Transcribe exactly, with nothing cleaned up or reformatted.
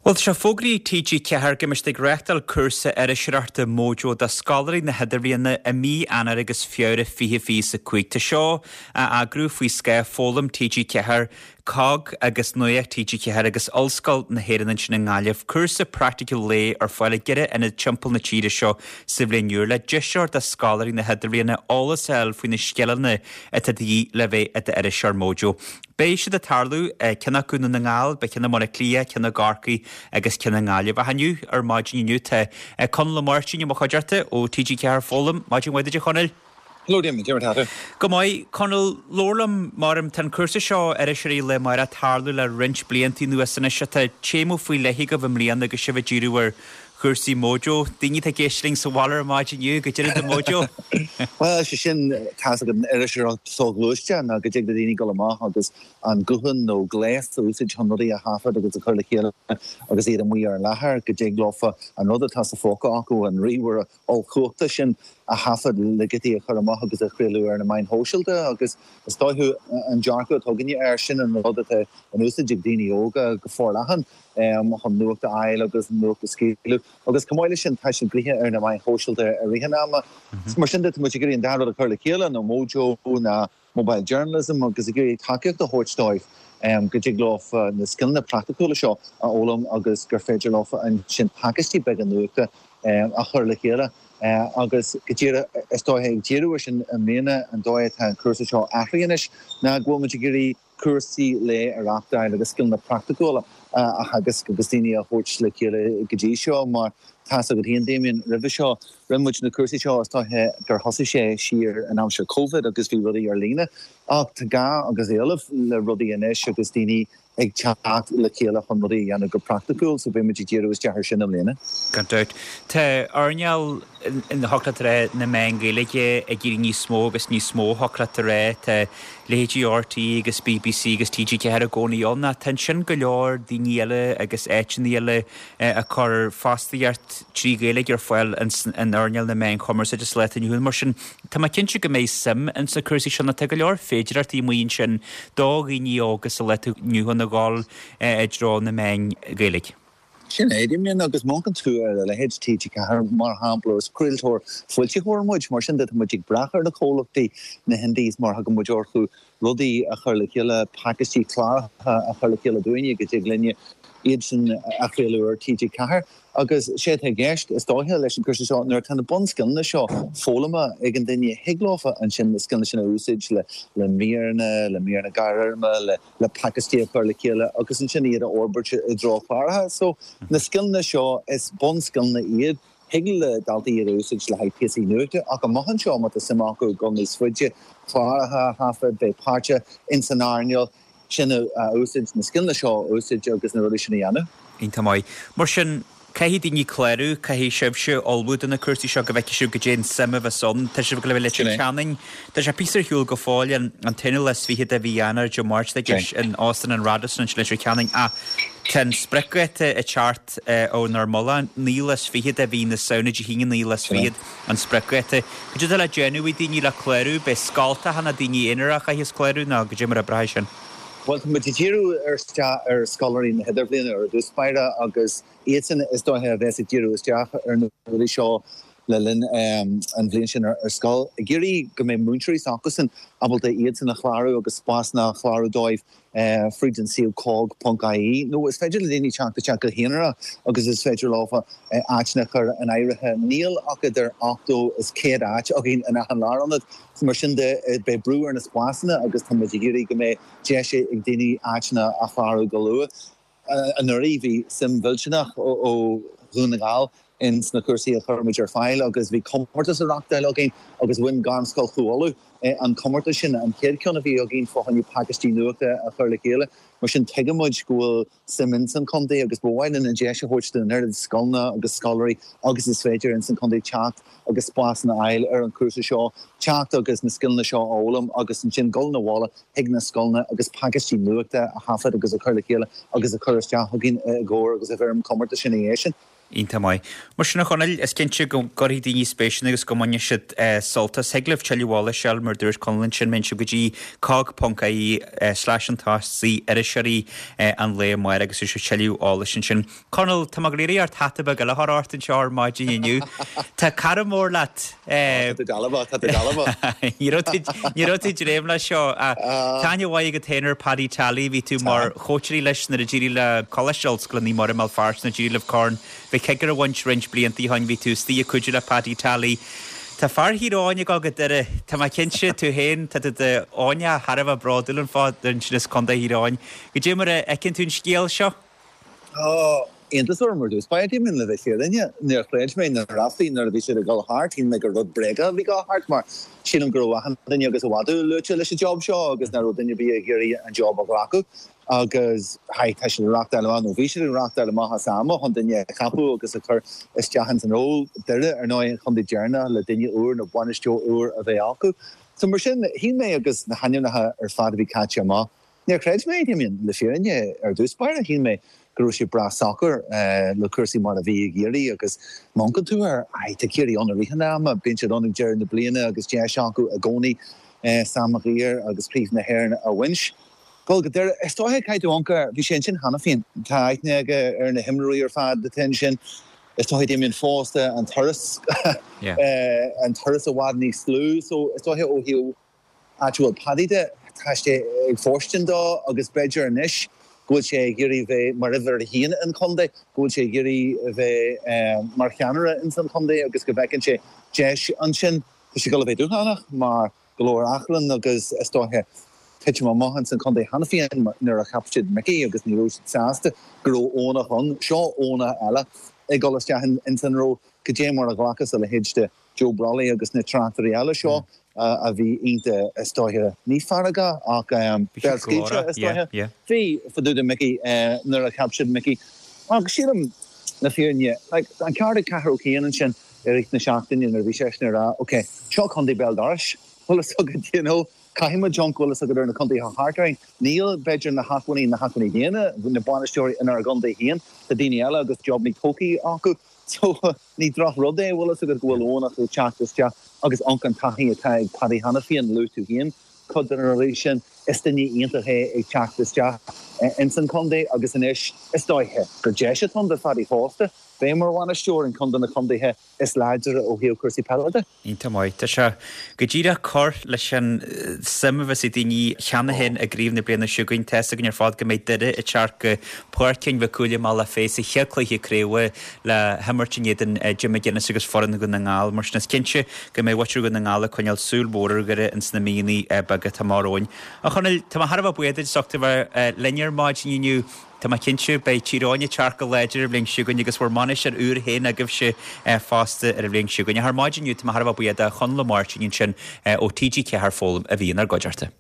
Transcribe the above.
Bhuel tá sé fógraithe ag TG Ceathair go mbeidh siad ag reáchtáil cúrsa iriseoireachta Mojo do scoláirí na hidirbhliana i mí Eanáir agus Feabhra fiche fiche a cúig. Tá seo á eagrú faoi scáth Foghlaim TG Ceathair, COGG agus Nuacht TG Ceathair agus Ollscoil na hÉireann ansin i nGaillimh. Cúrsa praiticiúil lae ar fáil i gceithre ionad timpeall na tíre seo sa bhliain úr le deis a thabhairt do scoláirí na hidirbhliana eolas a fháil faoi na scileanna atá de dhíth le bheith i d'iriseoir Mojo. Beidh siad ag tarlú ceann acu i nDún na nGall, beidh ceann i mBaile Átha Cliath, ceann i gCorcaigh agus ceann i nGaillimh. Ach inniu ar maidin inniu tá Conall Ó Máirtín i mo chuideachta ó TG Ceathair Foghlaim. Maidin mhaith duit a Chonaill. Hello Damien, cén chaoi a bhfuil tú? Go maith, Conall, labhair liom mar tá an cúrsa seo iriseoirí lae amárach ag tarlú le roinnt blianta anuas anois tá téama faoi leith agaibh i mbliana agus sibh ag díriú ar chúrsaí Mojo. Daoine atá ag éisteacht linn sa bhaile ar maidin inniu, goidé an Mojo. Well sé sin tá an iriseoireacht soghluaiste ná go dtig le daoine dul amach agus an guthán nó gléas a úsáid chun rudaí a thaifead agus a chur le chéile agus iad amuigh ar an láthair go dtig leofa an rud atá sa phóca acu an ríomhaire ollchumhachtach sin a thaifead le giotaí a chur amach agus a chraoladh ar na meáin shóisialta agus is dóiche an dearcadh atá againne air sin an rud atá in úsáid ag daoine óga go forleathan um, chun nuacht a fháil agus nuacht a scaoileadh agus chomh maith leis sin tá siad gnoitheach ar na meáin shóisialta i rith an ama. Mar sin de muid ag iarraidh an dá rud a chur le chéile nó Mojo na mobile journalism agus ag iarraidh tacaíocht a thabhairt dóibh um, go dtig leo na scileanna praiticiúla seo a fhoghlaim agus gur féidir leo ansin pacáistí beaga nuachta um, a chur le chéile. Uh, agus go díreach is dóiche ag díriú sin i mbliana an dóigh atá an cúrsa seo athraithe anois ná go bhfuil muid ag iarraidh cúrsaí lae a reáchtáil agus scileanna praiticiúla a agus agus daoine a thabhairt le chéile go dtí seo mar tá go haon Damien roimhe seo rinne muid na cúrsaí seo is dóiche gur thosaigh sé siar in aimsir COVID agus bhí rudaí ar líne ach tá gá agus éileamh le rudaí anois agus daoine ag teacht le chéile chun rudaí a dhéanamh go praiticiúil, so beidh muid ag díriú isteach ar sin i mbliana. Gan dabht. Tá earnáil in thiocfadh na meáin Gaeilge ag éirí níos mó agus níos mó thiocfadh rá tá leithéidí RTÉ agus BBC agus TG Ceathair i gcónaí ann ach tá ansin go leor daoine eile agus áiteanna eile ag cur fostaíocht trí Ghaeilge ar fáil in earnáil na meáin chumarsáide sa lá atá inniu ann mar sin tá mé cinnte go mbeidh suim in sna cúrsaí sin tá go leor féidearthachtaí amuigh ansin do dhaoine óga sa lá atá inniu ann a ghabháil i dtreo na meáin Gaeilge. Sin é Damien agus má amharcann tú ar a leithéid TG Ceathair mar shampla is craoltóir foilsitheoir muid mar sin de muid ag brath ar na comhlachtaí na indies mar a thugann muid orthu rudaí a chur le chéile pacáistí cláracha a chur le chéile dúinne go dtig linne iad sin a chraoladh ar TG Ceathair. agus sé atá i gceist is dóiche leis an cúrsa seo nuair atá na bunscileanna seo foghlamtha ag an duine thig leofa ansin na scileanna sin a úsáid le le míreanna le míreanna gearrfhoirme le le pacáistí a chur le chéile agus ansin iad a fhorbairt i dtreo cláracha. So na scileanna seo is bunscileanna iad thig le daltaí iad a úsáid le haghaidh píosaí nuachta ach amach anseo má tá suim acu dul níos faide cláracha a thaifead bheith páirteach in san earnáil sin a úsáid na scileanna seo a úsáid agus na rudaí sin a dhéanamh. Iontach maith. Mar sin caithfidh daoine clárú, caithfidh sibhse ullmhú do na cúrsaí seo go bhfeicfidh sibh goidé an suim a bheas ann. Tá sibh go le Leitir Ceanainn. Tá sé píosa ar shiúl go fóill an an t-aonú lá is fiche de mhí Eanáir Dé Máirt agus in Óstán an Radisson in Leitir Ceanainn ach tá an spriocdháta ag teacht ónár mullach naoú lá is fiche de mhí na Samhna Dé hAoine naoú lá is fiche an spriocdháta. Goidé atá le déanamh ag daoine le clárú, beidh scoltacha nó daoine aonair a chaithfeas clárú nó goidé mar a oibreoidh sin. Well tá muid ag díriú ar ar scoláirí na hidirbhliana ar dtús báire agus iad sin is dóiche a bheas ag díriú isteach ar na rudaí seo le linn um, an bhliain sin ar, ar scoil. Ag iarraidh go mbeidh múinteoirí s'acusan ábalta iad sin a chlárú agus spásanna a chlárú dóibh uh, fríd an suíomh cogg.ie nó is féidir le daoine teacht isteach go haonarach agus is féidir leofa uh, áiteanna a chur in áirithe níl ach idir ochtó is céad áit againn in achan lárionad mar sin de beidh brú ar na spásanna agus tá muid ag iarraidh go mbeidh deis ag daoine áiteanna a chlárú go luath. Anuraidh bhí suim mhillteanach ó Dhún na nGall in sna cúrsaí a chuir muid ar fáil agus bhí comórtas á reáchtáil againn agus bhain Gairmscoil Chú Uladh an comórtas sin an chéad cheann a bhí againn fá choinne pacáistí nuachta a chur le chéile, mar sin tuigeann muid go bhfuil suim in san chontae agus ba mhaith linn an deis a thabhairt don oiread scoileanna agus scoláirí agus is féidir in san chontae teacht agus spásanna a fháil ar an chúrsa seo, teacht agus na scileanna seo a fhoghlaim agus ansin dul abhaile chuig na scoileanna agus pacáistí nuachta a thaifead agus a chur le chéile agus a chur isteach againn i gcomhair agus i bhfoirm comórtas sin é sin. Iontach maith. Mar sin a Chonaill, is cinnte go gcuirfidh daoine spéis ann agus go mbainfidh siad sult as. Thig libh tuilleadh eolais a fháil mar dúirt Conall ansin, má théann sibh go dtí cogg ponc ie slash an tost C iriseoirí an lae amárach agus is tuilleadh eolais ansin. Conall, tá mé ag iarraidh ort hata beag eile a chur ort anseo ar maidin inniu. Tá cara mór leat. Tá tú dealbh, tá tú dealbh. Ní raibh tú ag dréim leis seo. Tá aithne mhaith agat féin ar Paddy Tally, bhí tú mar chóitseálaí leis nuair a d'éirigh le Coláiste Ollscoile Naomh Muire i mBéal Feirste nuair a d'éirigh libh Corn Mhic Shigiúir a bhaint roinnt blianta ó shin, bhí tú istigh ag cuidiú le Paddy Tally. Tá fear Thír Eoghain ag dul go Doire, tá mé cinnte, tú féin, tá tú d'Eoghaineach thar a bheith bródúil an fáth ansin as Contae Thír Eoghain. Goidé mar a fheiceann tú an scéal seo? Tá iontas orm ar dtús báire, Damien, le bheith fírinneach. Níor chreid mé na ráflaí nuair a bhí siad ag dul thart, shíl mé gur rud bréagach a bhí ag dul thart mar sílim go raibh achan duine agus i bhfad luaite leis an job seo agus nach raibh duine ar bith ag iarraidh an job a ghlacadh agus haigh tá siad ag reachtáil amach nó bhí siad ag reachtáil amach as ama chun duine a cheapadh agus a chur isteach ins an ról. Doire ar ndóigh an chontae deireanach le duine úr nó bainisteoir úr a bheith acu. So mar sin shíl mé agus na hainmneacha ar fad a bhí caite amach, níor chreid mé, Damien, le fírinne ar dtús báire, shíl mé go raibh sé breá socair le cúrsaí mar a bhí i gCiarraí agus má amharcann tú air, aye, tá Ciarraí ann i rith an ama, bíonn siad ann ag deireadh na bliana agus deis acu i gcónaí Sam Maguire agus Craobh na hÉireann a bhaint. Dul go Doire, is dóiche, caithfidh tú amharc air, bhí sé ansin cheana féin, tá aithne aige ar na himreoirí ar fad atá ansin, is dóiche Damien fosta an turas, an turas i bhfad níos lú, so is dóiche ó thaobh áit a bhfuil Paddy de, tá sé ag fóirstean dó agus b'fhéidir anois go bhfuil sé ag iarraidh bheith mar uimhir a haon an chontae, go bhfuil sé ag iarraidh a bheith mar cheannaire ins an chontae agus go bhfeiceann sé deis ansin. Tá sé ag dul a bheith dúshlánach mar go leor achrann agus is dóiche titim amach ins an chontae cheana féin nuair a cheap siad Mickey agus ní raibh siad sásta go raibh Eoghanach ann. Seo Eoghanach eile ag dul isteach ins an ról. Cad é mar a ghlacas a leithéid de Joe Brolly agus na tráchtairí eile seo a bhí iontach is dóiche, ní feargach ach béalscaoilte is dóiche. Bhí fá dtaobh de Mickey nuair a cheap siad Mickey. Ach sílim le fírinne, like, an ceart ag Cathal Ó Ciain ansin i rith na seachtaine nuair a bhí seisean ag rá, ok, seo contae béal dorais, bhfuil fhios agat, you know, caithfidh muid amharc, bhfuil fhios agat ar na contaetha thart orainn. Níl, b'fhéidir, na hacmhainní, na hacmhainní daonna, na bainisteoirí inár gcontae féin, tá daoine eile agus jobannaí tógtha acu. So, ní drochrud é, bhfuil fhios agat, go bhfuil Eoghanach ag teacht isteach agus amharc an taithí atá ag Paddy cheana féin, luaigh tú féin cuid de na rudaí sin, is duine iontach é ag teacht isteach ins an chontae agus anois is dóiche gur deis atá ann do Phaddy fosta bheith mar bhainisteoir in ceann de na contaetha is láidre ó thaobh cúrsaí peile de. Iontach maith. Tá sé go díreach cur leis an suim a bheas ag daoine cheana féin i gcraobh na bliana seo chugainn. Tá fhios againn ar fad go mbeidh Doire ag teacht go Páirc Sheáin Mhic Cumhaill i mBealach Féich sa chéad chluiche craoibhe le himirt in éadan Jim McGuinness agus foireann Dhún na nGall. Mar sin is cinnte go mbeidh muintir Dhún na nGall ag coinneáil súil mhór ar Dhoire ins na míonna beaga atá amach romhainn. A Chonaill, tá mé thar a bheith buíoch duit as ucht a bheith linn ar maidin inniu. Tá mé cinnte, beidh Tír Eoghain ag teacht go láidir an bhliain seo chugainn agus bhur mbainisteoir úr féin agaibhse fosta ar an bhliain seo chugainn. Ach ar maidin inniu, tá mé thar a bheith buíoch de Chonall Ó Máirtín ansin ó T G ceathair Foghlaim a bhí inár gcuideachta.